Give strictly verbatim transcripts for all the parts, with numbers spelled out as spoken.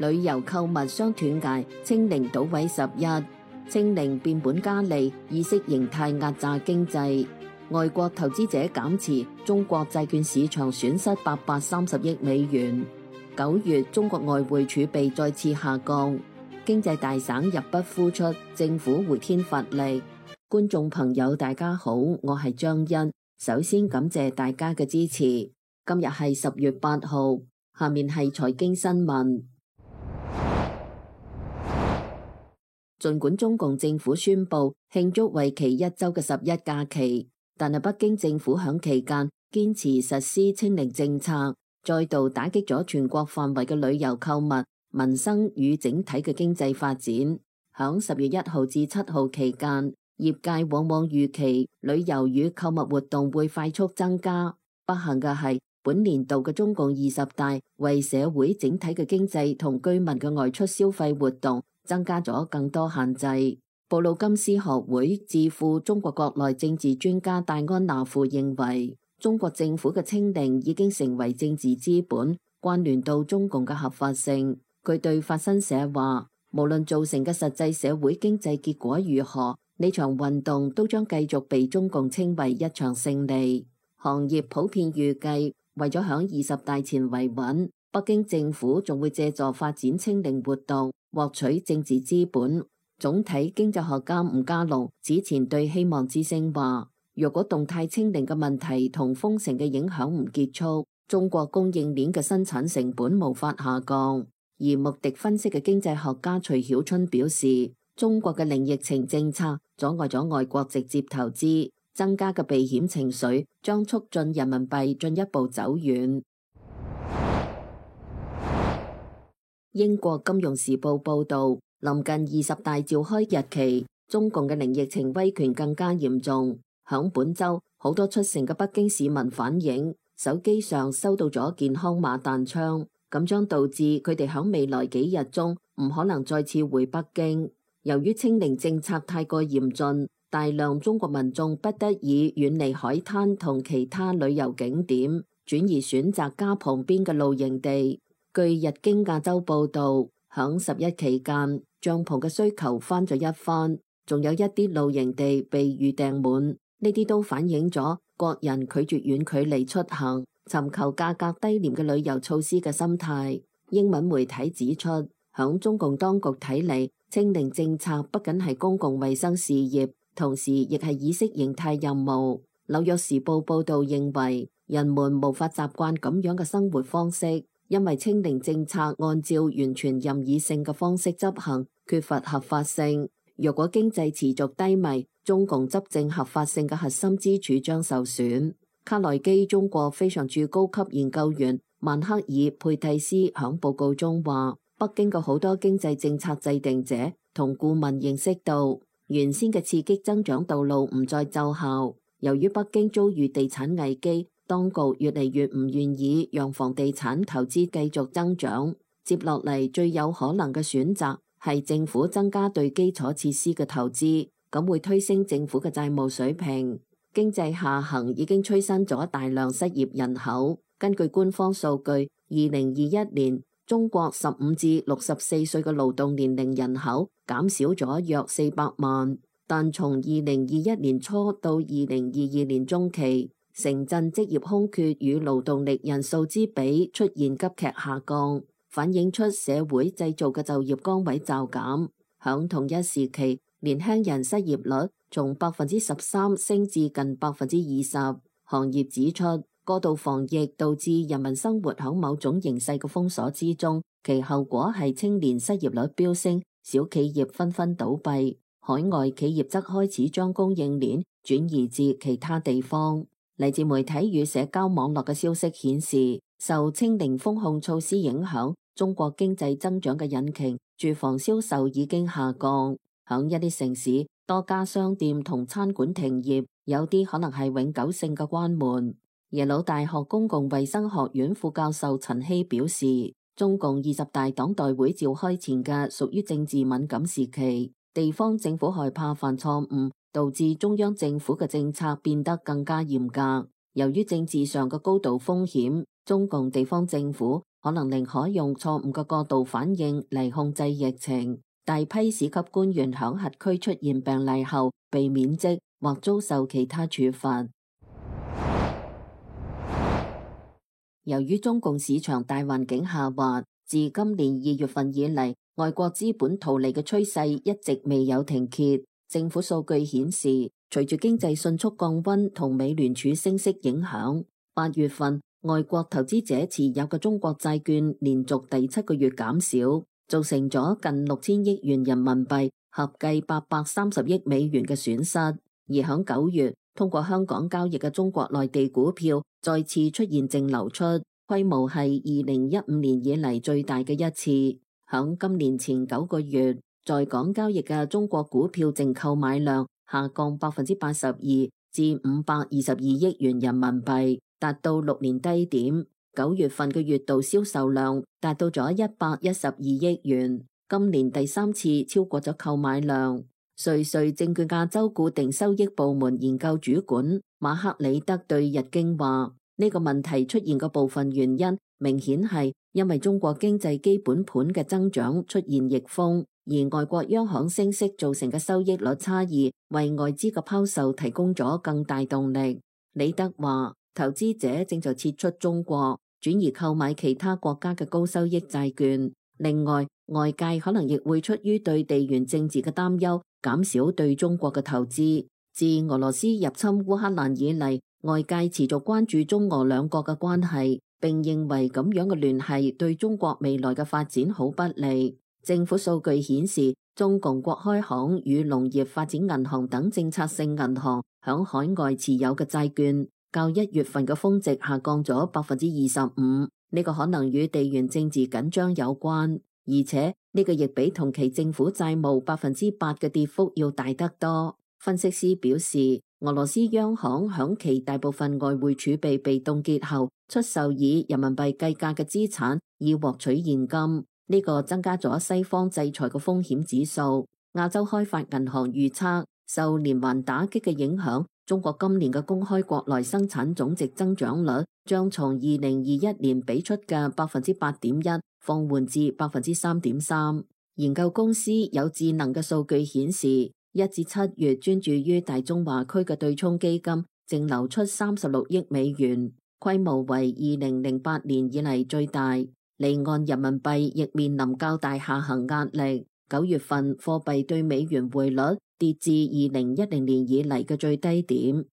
旅遊購物雙斷崖，清零倒位十一，清零變本加厲，意識形態壓榨經濟。外國投資者減持，中國債券市場損失八百三十億美元。九月，中國外匯儲備再次下降，經濟大省入不敷出，政府回天乏力。觀眾朋友大家好，我係張欣，首先感謝大家嘅支持。今日係十月八號，下面係財經新聞。儘管中共政府宣布慶祝為期一周嘅十一假期，但係北京政府響期間堅持實施清零政策，再度打擊咗全國範圍嘅旅遊購物、民生與整體嘅經濟發展。響十月一號至七號期間，業界往往預期旅遊與購物活動會快速增加。不幸嘅係，本年度嘅中共二十大為社會整體嘅經濟同居民嘅外出消費活動增加咗更多限制。布魯金斯學會智庫中國國內政治專家戴安娜夫認為，中國政府嘅清零已經成為政治資本，關聯到中共嘅合法性。佢對法新社話，無論造成嘅實際社會經濟結果如何，呢場運動都將繼續被中共稱為一場勝利。行業普遍預計，為咗響二十大前維穩，北京政府仲會借助發展清零活動獲取政治資本。總體經濟學家吳家龍此前對希望之聲話，若果動態清零嘅問題同封城嘅影響唔結束，中國供應鏈嘅生產成本無法下降。而穆迪分析嘅經濟學家徐曉春表示，中國嘅零疫情政策阻礙咗外國直接投資，增加嘅避險情緒將促進人民幣進一步走遠。英國金融時報報道，臨近二十大召開日期，中共嘅零疫情威權更加嚴重。響本周，好多出城嘅北京市民反映，手機上收到咗健康碼彈窗，咁將導致佢哋響未來幾日中唔可能再次回北京。由於清零政策太過嚴峻，大量中國民眾不得已遠離海灘同其他旅遊景點，轉而選擇家旁邊嘅露營地。據日經亞洲報道，響十一期間，帳篷嘅需求翻咗一番，仲有一啲露營地被預訂滿。呢啲都反映咗國人拒絕遠距離出行，尋求價格低廉嘅旅遊措施嘅心態。英文媒體指出，響中共當局睇嚟，清零政策不僅係公共衛生事業，同時亦係意識形態任務。紐約時報報道認為，人們無法習慣咁樣嘅生活方式，因為清零政策按照完全任意性嘅方式執行，缺乏合法性。若果經濟持續低迷，中共執政合法性嘅核心支柱將受損。卡內基中國非常駐高級研究員曼克爾佩蒂斯響報告中話，北京嘅好多經濟政策制定者同顧問認識到，原先嘅刺激增長道路唔再奏效。由於北京遭遇地產危機，當局越嚟越唔願意讓房地產投資繼續增長。接落嚟最有可能嘅選擇係政府增加對基礎設施嘅投資，咁會推升政府嘅債務水平。經濟下行已經催生咗大量失業人口。根據官方數據，二零二一年中國十五至六十四歲嘅勞動年齡人口減少咗約四百萬，但從二零二一年初到二零二二年中期，城鎮職業空缺與勞動力人數之比出現急劇下降，反映出社會製造嘅就業崗位驟減。響同一時期，年輕人失業率從百分之十三升至近百分之二十。行業指出，過度防疫導致人民生活響某種形勢嘅封鎖之中，其後果係青年失業率飆升，小企業紛紛倒閉，海外企業則開始將供應鏈轉移至其他地方。嚟自媒體與社交網絡嘅消息顯示，受清零封控措施影響，中國經濟增長嘅引擎住房銷售已經下降。響一啲城市，多家商店同餐館停業，有啲可能係永久性嘅關門。耶魯大學公共衛生學院副教授陳希表示，中共二十大黨代會召開前嘅屬於政治敏感時期，地方政府害怕犯錯誤，導致中央政府嘅政策變得更加嚴格。由於政治上嘅高度風險，中共地方政府可能寧可用錯誤嘅過度反應嚟控制疫情。大批市級官員響轄區出現病例後被免職或遭受其他處罰。由於中共市場大環境下滑，自今年二月份以嚟，外國資本逃離嘅趨勢一直未有停歇。政府數據顯示，隨住經濟迅速降溫同美聯儲升息影響，八月份外國投資者持有嘅中國債券連續第七個月減少，造成咗近六千億元人民幣，合計八百三十億美元嘅損失。而響九月，通過香港交易嘅中國內地股票再次出現淨流出，規模係二零一五年以嚟最大嘅一次。響今年前九個月，在港交易嘅中國股票淨購買量下降百分之八十二至五百二十二億元人民幣，達到六年低點。九月份嘅月度銷售量達到咗一百一十二億元，今年第三次超過咗購買量。瑞瑞證券亞洲固定收益部門研究主管馬克里德對日經話：呢個問題出現嘅部分原因，明顯係因為中國經濟基本盤嘅增長出現逆風，而外國央行升息造成嘅收益率差異，為外資嘅拋售提供咗更大動力。李德話：投資者正在撤出中國，轉移購買其他國家嘅高收益債券。另外，外界可能亦會出於對地緣政治嘅擔憂，減少對中國嘅投資。自俄羅斯入侵烏克蘭以嚟，外界持續關注中俄兩國嘅關係，並認為咁樣嘅聯繫對中國未來嘅發展好不利。政府數據顯示，中共國開行與農業發展銀行等政策性銀行響海外持有嘅債券，較一月份嘅峰值下降咗百分之二十五。呢個可能與地緣政治緊張有關，而且呢個亦比同期政府債務百分之八嘅跌幅要大得多。分析師表示，俄羅斯央行響其大部分外匯儲備被凍結後，出售以人民幣計價嘅資產以獲取現金，呢個增加咗西方制裁嘅風險指數。亞洲開發銀行預測，受連環打擊嘅影響，中國今年嘅公開國內生產總值增長率將從二零二一年俾出嘅百分之八點一放緩至百分之三點三。研究公司有智能嘅數據顯示，一至七月專注於大中華區嘅對沖基金淨流出三十六億美元，規模為二零零八年以嚟最大。離岸人民幣亦面臨較大下行壓力，九月份貨幣對美元匯率跌至二零一零年以嚟嘅最低點。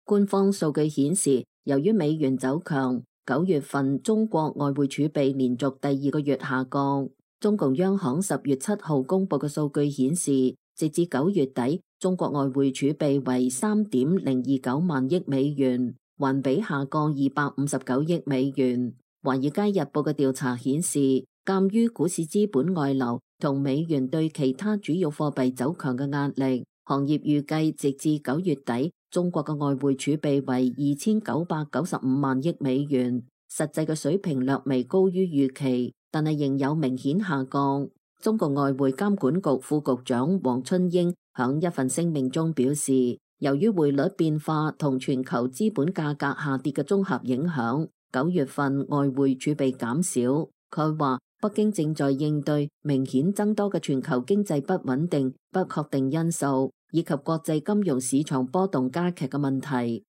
官方數據顯示，由於美元走強，九月份中國外匯儲備連續第二個月下降。中共央行十月七號公布嘅數據顯示，直至九月底，中國外匯儲備為三點零二九萬億美元，環比下降二百五十九億美元。華爾街日報嘅調查顯示，鑒於股市資本外流同美元對其他主要貨幣走強嘅壓力，行業預計直至九月底，中國嘅外匯儲備為二千九百九十五萬億美元，實際嘅水平略微高於預期，但係仍有明顯下降。中國外匯監管局副局長王春英響一份聲明中表示，由於匯率變化同全球資本價格下跌嘅綜合影響，九月份外匯儲備減少。佢話北京正在應對明顯增多嘅全球經濟不穩定、不確定因素，以及國際金融市場波動加劇嘅問題。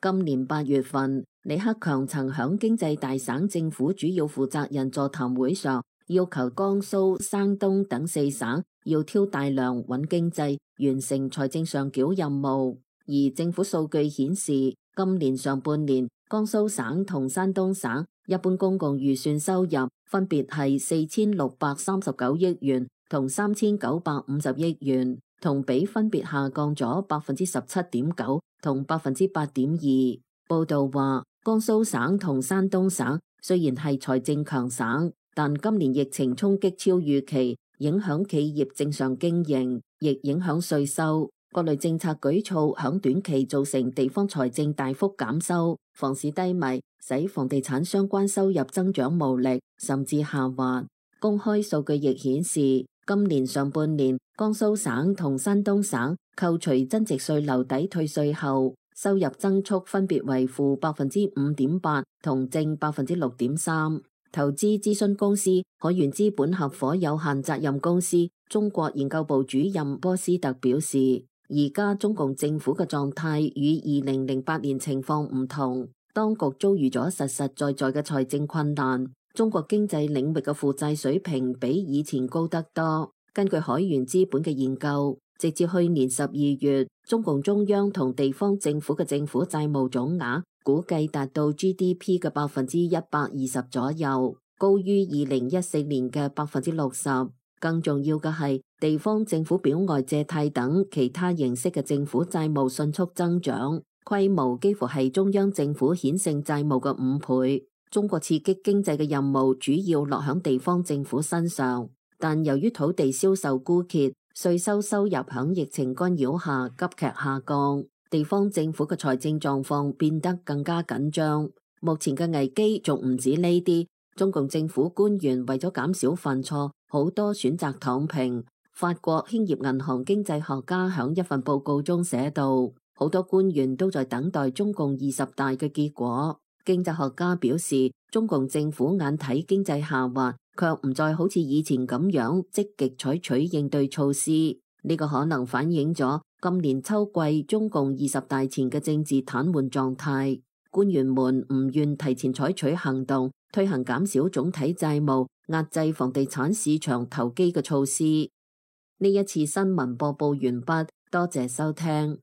今年八月份，李克強曾響經濟大省政府主要負責人座談會上，要求江蘇、山東等四省要挑大梁穩經濟，完成財政上繳任務。而政府數據顯示，今年上半年，江蘇省同山東省一般公共預算收入分別係四千六百三十九億元同三千九百五十億元，同比分別下降咗百分之十七點九同百分之八點二。報道話，江蘇省同山東省雖然係財政強省，但今年疫情衝擊超預期，影響企業正常經營，亦影響稅收。各類政策舉措響短期造成地方財政大幅減收，房市低迷，使房地產相關收入增長無力，甚至下滑。公開數據亦顯示，今年上半年江蘇省同山東省扣除增值稅留抵退稅後，收入增速分別為負百分之五點八同正百分之六點三。投資諮詢公司海源資本合夥有限責任公司中國研究部主任波斯特表示，而家中共政府嘅狀態與二零零八年情況唔同，當局遭遇咗實實在在嘅財政困難，中國經濟領域嘅負債水平比以前高得多。根據海源資本嘅研究，直至去年十二月，中共中央同地方政府嘅政府債務總額估計達到 G D P 嘅百分之一百二十左右，高於二零一四年嘅百分之六十。更重要嘅係，地方政府表外借貸等其他形式嘅政府債務迅速增長，規模幾乎係中央政府顯性債務嘅五倍。中國刺激經濟嘅任務主要落響地方政府身上，但由於土地銷售枯竭，稅收收入響疫情干擾下急劇下降，地方政府嘅財政狀況變得更加緊張。目前嘅危機仲唔止呢啲，中共政府官員為咗減少犯錯，好多選擇躺平。法國興業銀行經濟學家響一份報告中寫道，好多官員都在等待中共二十大嘅結果。經濟學家表示，中共政府眼睇經濟下滑，卻唔再好似以前咁樣積極採取應對措施。呢個可能反映咗今年秋季中共二十大前嘅政治癱瘓狀態。官員們唔願提前採取行動，推行減少總體債務、壓制房地產市場投機嘅措施。呢一次新聞播報完畢，多謝收聽。